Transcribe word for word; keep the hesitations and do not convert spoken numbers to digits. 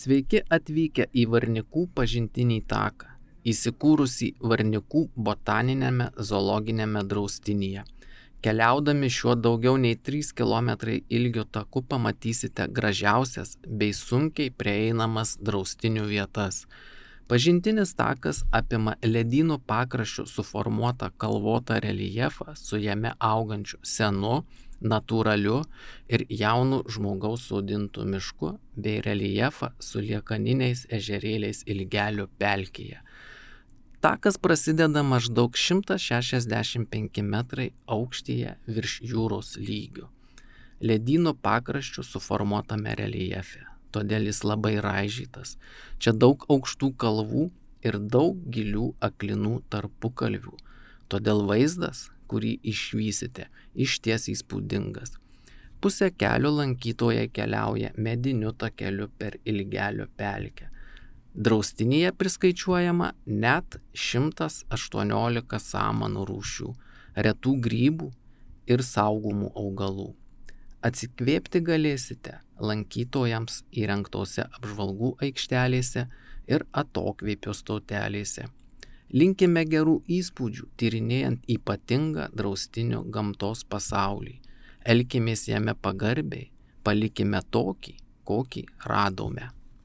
Sveiki atvykę į Varnikų pažintinį taką, įsikūrusį Varnikų botaniniame zoologiniame draustinyje. Keliaudami šiuo daugiau nei trys kilometrai ilgio taku pamatysite gražiausias bei sunkiai prieinamas draustinių vietas. Pažintinis takas apima ledynų pakraščių suformuotą kalvotą reljefą su jame augančiu senu, natūraliu ir jaunu žmogaus sodintu mišku bei reljefą su liekaniniais ežerėliais Ilgelio pelkėje. Takas prasideda maždaug šimtas šešiasdešimt penki metrai aukštyje virš jūros lygio. Ledynų pakraščių suformuotame reljefe, todėl jis labai raižytas. Čia daug aukštų kalvų ir daug gilių aklinų tarpukalvių, todėl vaizdas, kurį išvysite, išties įspūdingas. Pusę kelio lankytojai keliauja mediniu takeliu per Ilgelio pelkę. Draustinyje priskaičiuojama net šimtas aštuoniolika samanų rūšių, retų grybų ir saugomų augalų. Atsikvėpti galėsite lankytojams įrengtose apžvalgų aikštelėse ir atokvėpio stotelėse. Linkime gerų įspūdžių tyrinėjant ypatingą draustinio gamtos pasaulį. Elkimės jame pagarbiai, palikime tokį, kokį radome.